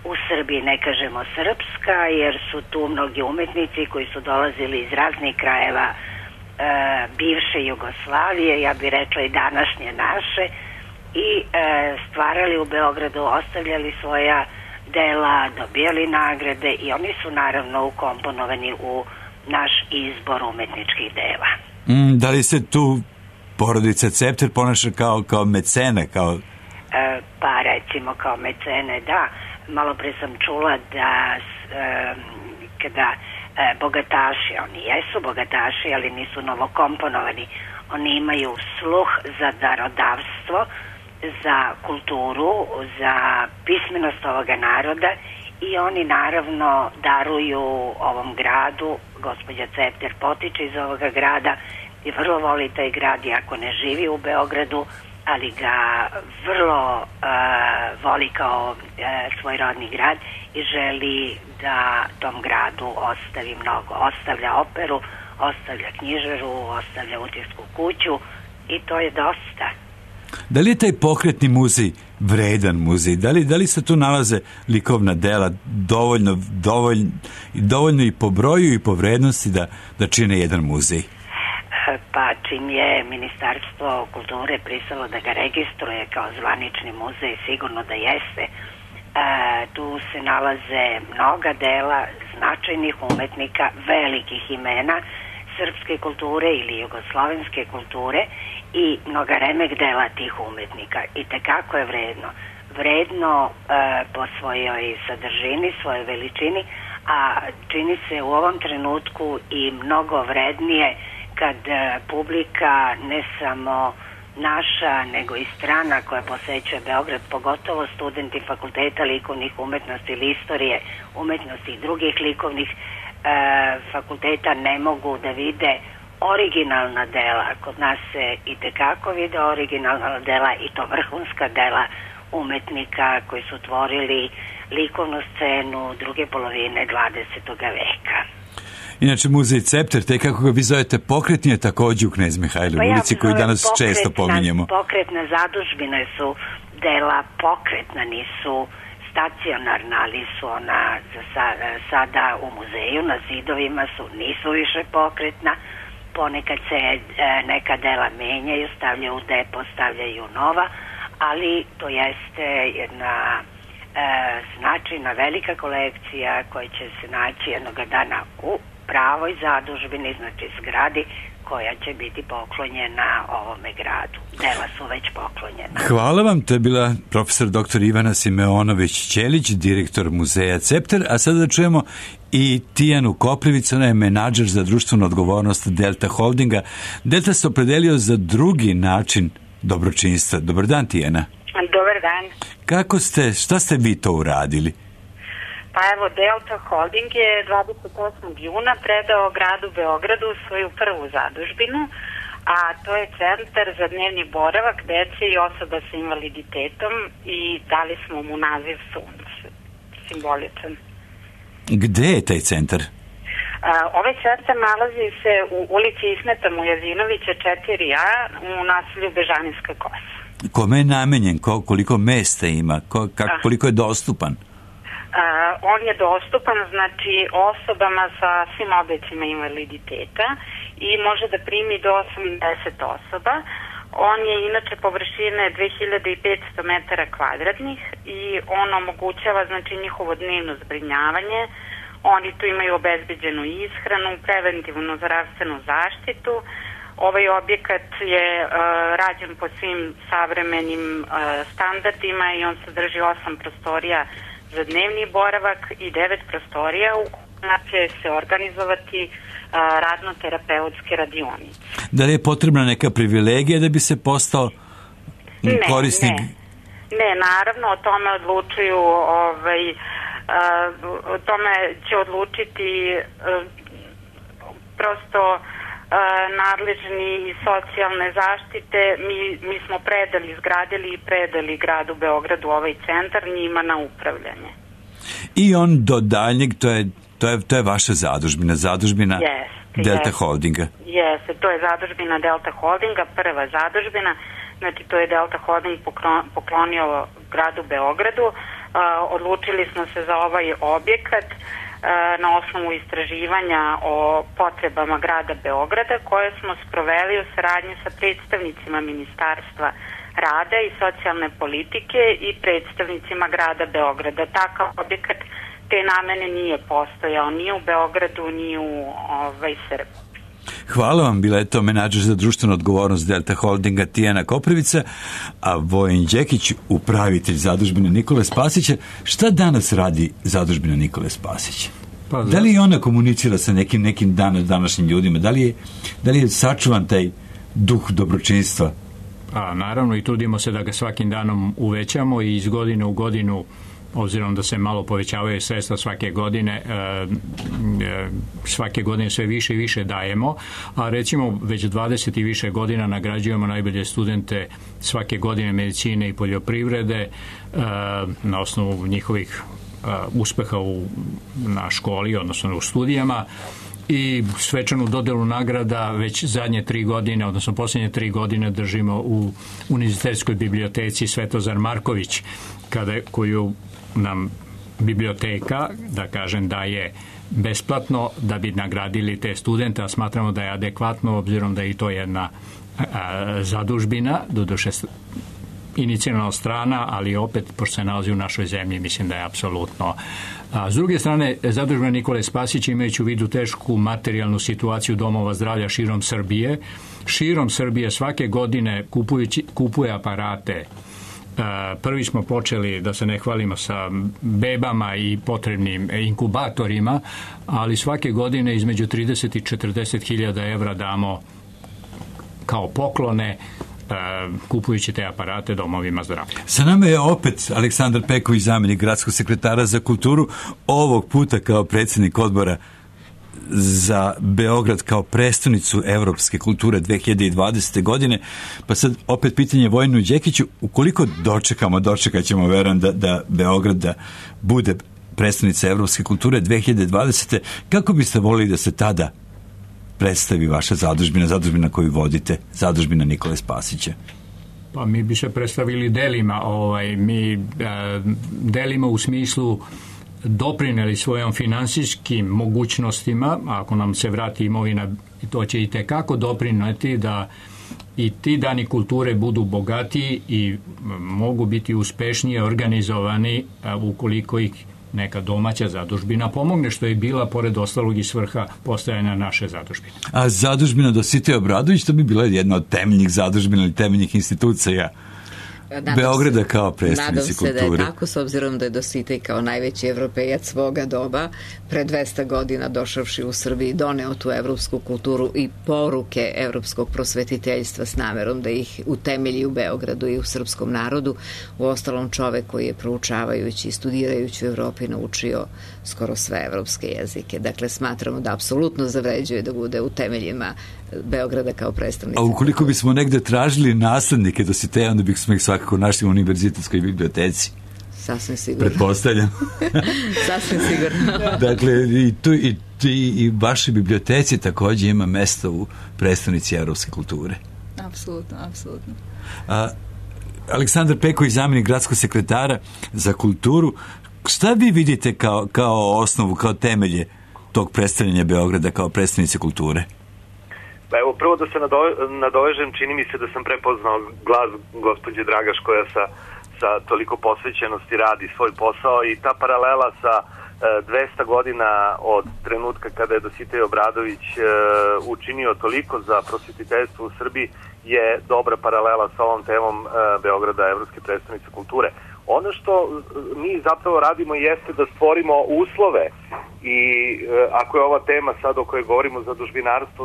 u Srbiji, ne kažemo srpska, jer su tu mnogi umetnici koji su dolazili iz raznih krajeva bivše Jugoslavije, ja bih rekla i današnje naše, i stvarali u Beogradu, ostavljali svoja dela, dobijali nagrade i oni su naravno ukomponovani u naš izbor umetničkih dela. Da li se tu porodica Cepter ponaša kao mecene? Pa recimo kao mecene, da. Malo pre sam čula da kada bogataši, oni jesu bogataši, ali nisu novokomponovani, oni imaju sluh za darodavstvo, za kulturu, za pismenost ovoga naroda i oni naravno daruju ovom gradu. Gospođa Cepter potiče iz ovoga grada i vrlo voli taj grad, iako ne živi u Beogradu, ali ga vrlo voli kao svoj rodni grad i želi da tom gradu ostavi mnogo. Ostavlja operu, ostavlja knjižaru, ostavlja utisku kuću i to je dosta. Da li je taj pokretni muzej vredan muzej? Da li se tu nalaze likovna dela dovoljno i po broju i po vrednosti da čine jedan muzej? Pa čim je Ministarstvo kulture pristalo da ga registruje kao zvanični muzej, sigurno da jeste. Tu se nalaze mnoga dela značajnih umetnika, velikih imena srpske kulture ili jugoslovenske kulture i mnoga remek dela tih umetnika. I tekako je vredno. Vredno po svojoj sadržini, svojoj veličini, a čini se u ovom trenutku i mnogo vrednije kad publika, ne samo naša, nego i strana koja posećuje Beograd, pogotovo studenti fakulteta likovnih umetnosti ili istorije umetnosti i drugih likovnih fakulteta, ne mogu da vide originalna dela. Kod nas se i tekako vide originalna dela i to vrhunska dela umetnika koji su tvorili likovnu scenu druge polovine 20. veka. Inače, muzej Cepter, te kako ga vi zovete, pokretni je također u Knez Mihajlovoj ulici, koju danas često pominjemo. Pokretne zadužbine su dela pokretna, nisu stacionarna, ali su ona sada u muzeju, na zidovima su, nisu više pokretna. Ponekad se neka dela menjaju, stavljaju u depo, stavljaju nova, ali to jeste jedna značajna velika kolekcija koja će se naći jednoga dana u pravoj zadužbini, znači zgradi koja će biti poklonjena ovome gradu. Dela su već poklonjena. Hvala vam, to je bila profesor dr. Ivana Simeonović-Ćelić, direktor muzeja Cepter, a sada da čujemo i Tijanu Koprivicu, ona je menadžer za društvenu odgovornost Delta Holdinga. Delta se opredelio za drugi način dobročinstva. Dobar dan, Tijana. Dobar dan. Šta ste vi to uradili? Pa evo, Delta Holding je 28. juna predao gradu Beogradu svoju prvu zadužbinu, a to je centar za dnevni boravak dece i osoba sa invaliditetom i dali smo mu naziv Sunce, simboličan. Gde je taj centar? Ovaj centar nalazi se u ulici Ismeta Mujazinovića 4A u naselju Bežanijska Kosa. Kome je namenjen? Koliko mesta ima? Koliko je dostupan? On je dostupan, znači, osobama sa svim oblicima invaliditeta i može da primi do 80 osoba. On je inače površine 2500 metara kvadratnih i on omogućava, znači, njihovo dnevno zbrinjavanje. Oni tu imaju obezbeđenu ishranu, preventivnu zdravstvenu zaštitu. Ovaj objekat je rađen po svim savremenim standardima i on sadrži 8 prostorija za dnevni boravak i 9 prostorija u kojima će se organizovati radno-terapeutske radionice. Da li je potrebna neka privilegija da bi se postao korisnik? Ne, naravno, o tome odlučuju, o tome će odlučiti prosto nadležni iz socijalne zaštite. Mi smo izgradili i predali gradu Beogradu ovaj centar njima na upravljanje. I on do daljnjeg, to je vaša zadužbina Delta Holdinga. Jeste, to je zadužbina Delta Holdinga, prva zadužbina, znači to je Delta Holding poklonio gradu Beogradu. Odlučili smo se za ovaj objekat na osnovu istraživanja o potrebama grada Beograda koje smo sproveli u saradnji sa predstavnicima Ministarstva rada i socijalne politike i predstavnicima grada Beograda. Takav objekat te namene nije postojao ni u Beogradu ni u Srbiji. Hvala vam, bila je to menadžer za društvenu odgovornost Delta Holdinga Tijana Koprivica, a Vojin Đekić, upravitelj zadužbine Nikole Spasića. Šta danas radi zadužbina Nikole Spasića? Da li ona komunicira sa nekim današnjim ljudima? Da li je sačuvan taj duh dobročinstva? Naravno, i trudimo se da ga svakim danom uvećamo i iz godine u godinu, obzirom da se malo povećavaju sredstva svake godine sve više i više dajemo, a recimo već 20 i više godina nagrađujemo najbolje studente svake godine medicine i poljoprivrede na osnovu njihovih uspeha na školi, odnosno u studijama, i svečanu dodelu nagrada već zadnje 3 godine, odnosno posljednje 3 godine držimo u Univerzitetskoj biblioteci Svetozar Marković, koju nam biblioteka, da kažem, daje besplatno da bi nagradili te studente, a smatramo da je adekvatno, obzirom da je i to jedna zadužbina, doduše inicijalna strana, ali opet, pošto se nalazi u našoj zemlji, mislim da je apsolutno. S druge strane, zadužbina Nikole Spasića, imajući u vidu tešku materijalnu situaciju domova zdravlja širom Srbije svake godine kupuje aparate. Prvi smo počeli, da se ne hvalimo, sa bebama i potrebnim inkubatorima, ali svake godine između 30 i 40 hiljada evra damo kao poklone kupujući te aparate domovima zdravlja. Sa nama je opet Aleksandar Peković, zamjenik gradskog sekretara za kulturu, ovog puta kao predsjednik odbora za Beograd kao prestonicu evropske kulture 2020. godine. Pa sad opet pitanje Vojinu Đekiću, ukoliko dočekat ćemo, verujem, da Beograd da bude prestonica evropske kulture 2020. Kako biste volili da se tada predstavi vaša zadužbina koju vodite, zadužbina Nikole Spasića? Pa mi bi se predstavili delima. Mi delimo u smislu doprineli svojom finansijskim mogućnostima, ako nam se vrati imovina, to će i tekako doprineti da i ti dani kulture budu bogatiji i mogu biti uspešnije organizovani ukoliko ih neka domaća zadužbina pomogne, što je bila pored ostalog i svrha postojanja naše zadužbine. A zadužbina Dositej Obradović, to bi bila jedna od temeljnih zadužbina ili temeljnih institucija Beograda kao prestonici kulture. Nadam se da je tako, s obzirom da je Dositej kao najveći evropejac svoga doba pre 200 godina došavši u Srbiji doneo tu evropsku kulturu i poruke evropskog prosvetiteljstva s namerom da ih utemelji u Beogradu i u srpskom narodu. U ostalom čovek koji je proučavajući i studirajući u Evropi naučio skoro sve evropske jezike. Dakle, smatramo da apsolutno zavređuje da bude u temeljima Beograda kao predstavnica. A ukoliko bismo negde tražili naslednike Dositeja, onda bismo ih svakako našli u univerzitetskoj biblioteci. Sasvim sigurno. Pretpostavljam. Sasvim sigurno. Dakle, i vaše biblioteci takođe ima mesto u predstavnici evropske kulture. Apsolutno, apsolutno. Aleksandar Peković, zamjenik gradskog sekretara za kulturu. Šta vi vidite kao osnovu, kao temelje tog predstavljanja Beograda kao predstavnice kulture? Pa evo, prvo da se nadovežem, čini mi se da sam prepoznao glas gospođe Dragaš koja sa toliko posvećenosti radi svoj posao i ta paralela sa 200 godina od trenutka kada je Dositej Obradović učinio toliko za prosvetiteljstvo u Srbiji je dobra paralela sa ovom temom Beograda, Evropske predstavnice kulture. Ono što mi zapravo radimo jeste da stvorimo uslove i ako je ova tema sad o kojoj govorimo zadužbinarstvo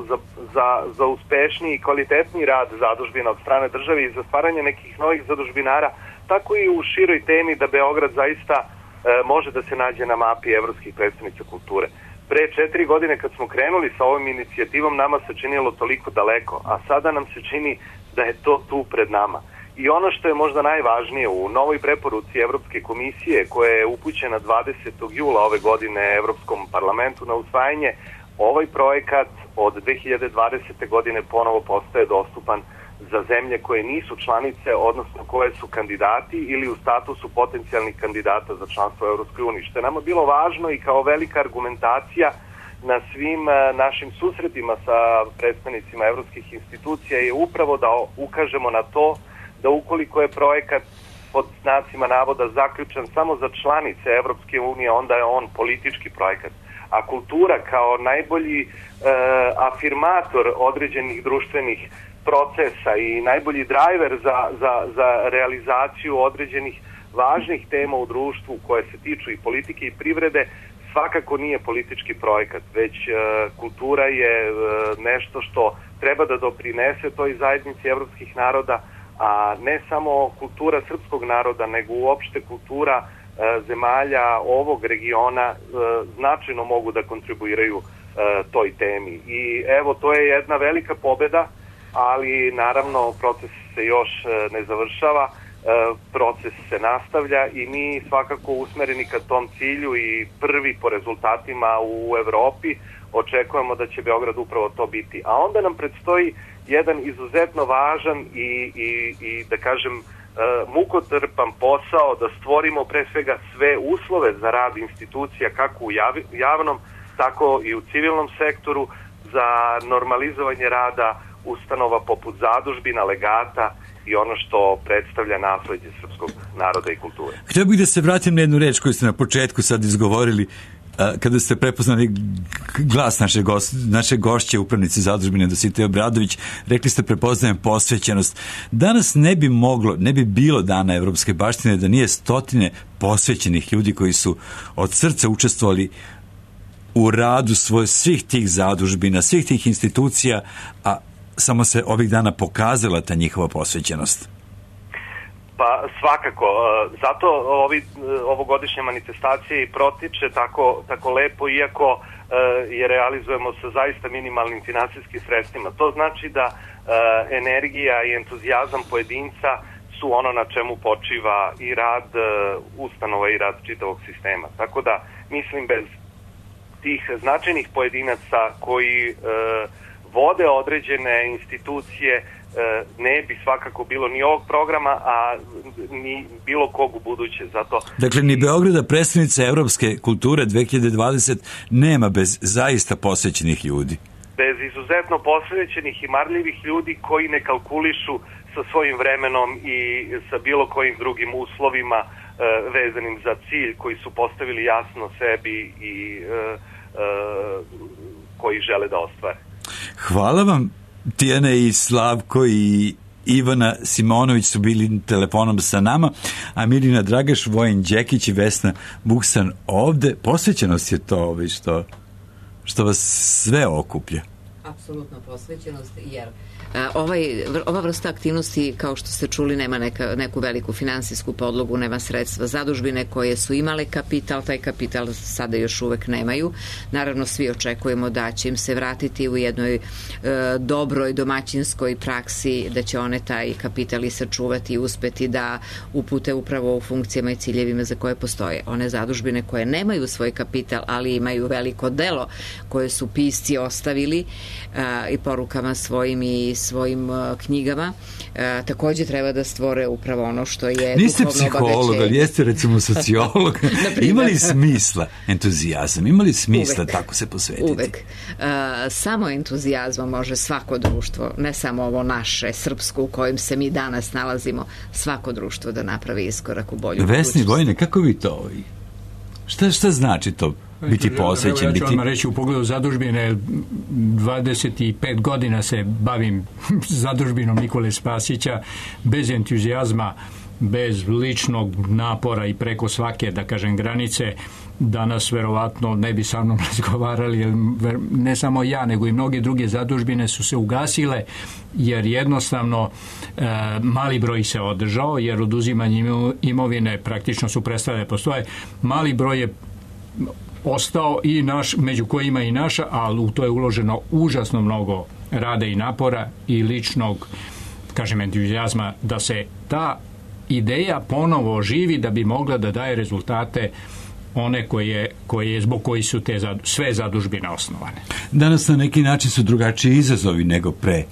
za uspešniji i kvalitetniji rad zadužbina od strane države i za stvaranje nekih novih zadužbinara, tako i u široj temi da Beograd zaista može da se nađe na mapi evropskih predstavnica kulture. Pre 4 godine kad smo krenuli sa ovom inicijativom nama se činilo toliko daleko, a sada nam se čini da je to tu pred nama. I ono što je možda najvažnije u novoj preporuci Evropske komisije koja je upućena 20. jula ove godine Evropskom parlamentu na usvajanje, ovaj projekat od 2020. godine ponovo postaje dostupan za zemlje koje nisu članice, odnosno koje su kandidati ili u statusu potencijalnih kandidata za članstvo u Evropskoj uniji. Što je nama bilo važno i kao velika argumentacija na svim našim susretima sa predstavnicima evropskih institucija je upravo da ukažemo na to da ukoliko je projekat pod znacima navoda zaključen samo za članice Evropske unije, onda je on politički projekat. A kultura kao najbolji afirmator određenih društvenih procesa i najbolji drajver za realizaciju određenih važnih tema u društvu koje se tiču i politike i privrede, svakako nije politički projekat, već kultura je nešto što treba da doprinese toj zajednici evropskih naroda, a ne samo kultura srpskog naroda, nego uopšte kultura zemalja ovog regiona značajno mogu da kontribuiraju toj temi. I evo, to je jedna velika pobeda, ali naravno proces se još ne završava, proces se nastavlja i mi svakako usmereni ka tom cilju i prvi po rezultatima u Evropi očekujemo da će Beograd upravo to biti. A onda nam predstoji jedan izuzetno važan i da kažem mukotrpan posao da stvorimo pre svega sve uslove za rad institucija kako u javnom, tako i u civilnom sektoru za normalizovanje rada ustanova poput zadužbina, legata i ono što predstavlja nasleđe srpskog naroda i kulture. Htio bih da se vratim na jednu reč koju ste na početku sad izgovorili kada ste prepoznali glas naše gošće, upravnice zadužbine Dositej Obradović. Rekli ste prepoznajem posvećenost. Danas ne bi bilo dana evropske baštine da nije stotine posvećenih ljudi koji su od srca učestvovali u radu svih tih zadužbina, svih tih institucija, a samo se ovih dana pokazala ta njihova posvećenost. Pa svakako, zato ovogodišnje manifestacije i protiče tako lepo, iako je realizujemo sa zaista minimalnim finansijskim sredstvima. To znači da energija i entuzijazam pojedinca su ono na čemu počiva i rad ustanova i rad čitavog sistema. Tako da, mislim, bez tih značajnih pojedinaca koji vode određene institucije ne bi svakako bilo ni ovog programa, a ni bilo kog u buduće. Dakle, ni Beograda predstavnica evropske kulture 2020 nema bez zaista posvećenih ljudi. Bez izuzetno posvećenih i marljivih ljudi koji ne kalkulišu sa svojim vremenom i sa bilo kojim drugim uslovima vezanim za cilj koji su postavili jasno sebi i koji žele da ostvare. Hvala vam. Tijana i Slavko i Ivana Simonović su bili telefonom sa nama, a Mirina Dragaš, Vojin Đekić i Vesna Vuksan ovde. Posvećenost je to što vas sve okuplja. Apsolutno posvećenost, jer ova vrsta aktivnosti, kao što ste čuli, nema neku veliku finansijsku podlogu, nema sredstva. Zadužbine koje su imale kapital, taj kapital sada još uvek nemaju. Naravno, svi očekujemo da će im se vratiti u jednoj dobroj domaćinskoj praksi, da će one taj kapital i sačuvati i uspeti da upute upravo u funkcijama i ciljevima za koje postoje. One zadužbine koje nemaju svoj kapital, ali imaju veliko delo koje su pisci ostavili i porukama svojim i svojim knjigama, takođe treba da stvore upravo ono što je duhovno obavećenje. Niste psiholog, ali jeste recimo sociolog. Ima li smisla entuzijazam? Ima li smisla tako se posvetiti? Uvek. Samo entuzijazmom može svako društvo, ne samo ovo naše, srpsko u kojem se mi danas nalazimo, svako društvo da napravi iskorak u bolju budućnost. Vesni, Vojine, kako vi to? Šta znači to? Biti posvećen, ja ću vam reći u pogledu zadužbine, 25 godina se bavim zadužbinom Nikole Spasića, bez entuzijazma, bez ličnog napora i preko svake, da kažem, granice. Danas verovatno ne bi sa mnom razgovarali, jer ne samo ja, nego i mnoge druge zadužbine su se ugasile, jer jednostavno mali broj se održao, jer oduzimanje imovine praktično su prestale da postoje. Mali broj je ostao i naš, među kojima i naša, ali u to je uloženo užasno mnogo rada i napora i ličnog, kažem, entuzijazma da se ta ideja ponovo oživi, da bi mogla da daje rezultate one koje zbog koji su te sve zadužbine osnovane. Danas na neki način su drugačiji izazovi nego pre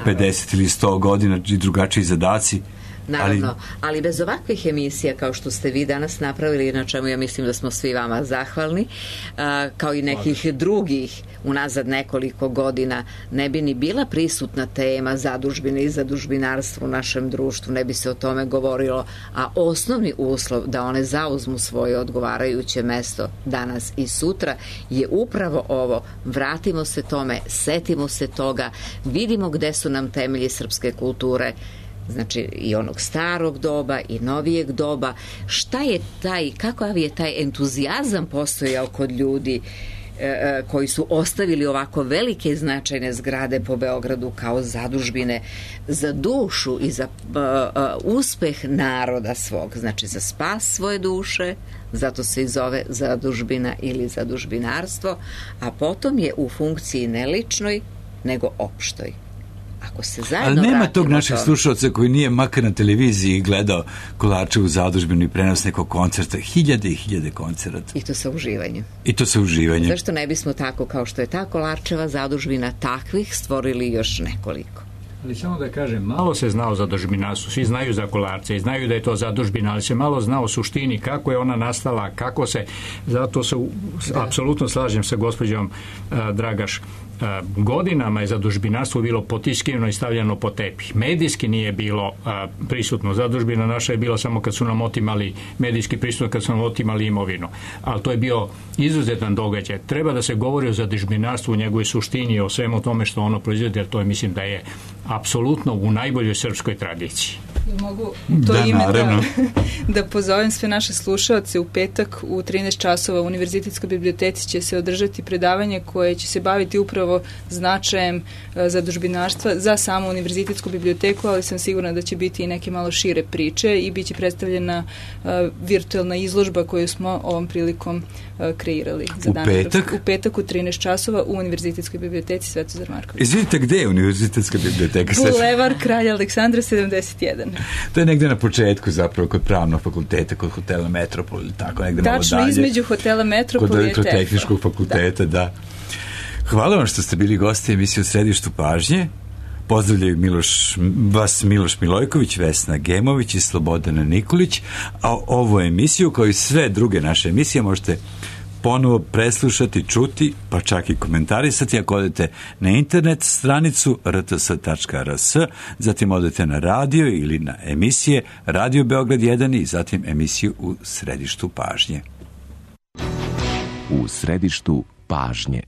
50 ili 100 godina i drugačiji zadaci. Naravno, ali bez ovakvih emisija kao što ste vi danas napravili, na čemu ja mislim da smo svi vama zahvalni, kao i nekih drugih unazad nekoliko godina, ne bi ni bila prisutna tema zadužbine i zadužbinarstva u našem društvu, ne bi se o tome govorilo, a osnovni uslov da one zauzmu svoje odgovarajuće mesto danas i sutra je upravo ovo. Vratimo se tome, setimo se toga, vidimo gde su nam temelji srpske kulture, znači i onog starog doba i novijeg doba. Šta je kakav je taj entuzijazam postojao kod ljudi koji su ostavili ovako velike i značajne zgrade po Beogradu kao zadužbine za dušu i za uspeh naroda svog, znači za spas svoje duše, zato se i zove zadužbina ili zadužbinarstvo, a potom je u funkciji ne ličnoj nego opštoj. Ali nema tog našeg slušalca koji nije makar na televiziji gledao Kolarčevu zadužbinu i prenos nekog koncerta, hiljade i hiljade koncerata. I to sa uživanjem. Zašto ne bismo tako kao što je ta Kolarčeva zadužbina takvih stvorili još nekoliko? Ali samo da kažem, malo se znao za zadužbinarstvo, svi znaju za Kolarce i znaju da je to zadužbina, ali se malo znao suštini, kako je ona nastala, kako se, zato se apsolutno slažem sa gospođom Dragaš. Godinama je zadužbinarstvo bilo potiskivano i stavljeno po tepih. Medijski nije bilo prisutno. Zadužbina naša je bila samo kad su nam otimali medijski prisutno, kad su nam otimali imovinu. Ali to je bio izuzetan događaj. Treba da se govori o zadužbinarstvu, u njegovoj suštini, o svemu tome što ono proizvede, jer to je, mislim, da je apsolutno u najboljoj srpskoj tradiciji. Mogu to ime da pozovem sve naše slušaoce. U petak u 13 časova u Univerzitetskoj biblioteci će se održati predavanje koje će se baviti upravo značajem zadužbinarstva za samu Univerzitetsku biblioteku, ali sam sigurna da će biti i neke malo šire priče i bit će predstavljena virtualna izložba koju smo ovom prilikom kreirali. U petak? U petak u 13 časova u Univerzitetskoj biblioteci Svetozar Marković. Izvidite, gde je Univerzitetska biblioteka? Bulevar Kralja Aleksandra 71. To je negde na početku zapravo kod pravnog fakulteta, kod hotela Metropol ili tako, negde malo dalje. Tačno, između hotela Metropol kod elektrotehničkog fakulteta, da. Hvala vam što ste bili gosti emisije u Središtu pažnje. Pozdravljaju vas Miloš Milojković, Vesna Gemović i Slobodana Nikolić, a ovu emisiju, kao i sve druge naše emisije, možete ponovo preslušati, čuti, pa čak i komentarisati ako odete na internet stranicu rts.rs, zatim odete na radio ili na emisije Radio Beograd 1 i zatim emisiju U središtu pažnje. U središtu pažnje.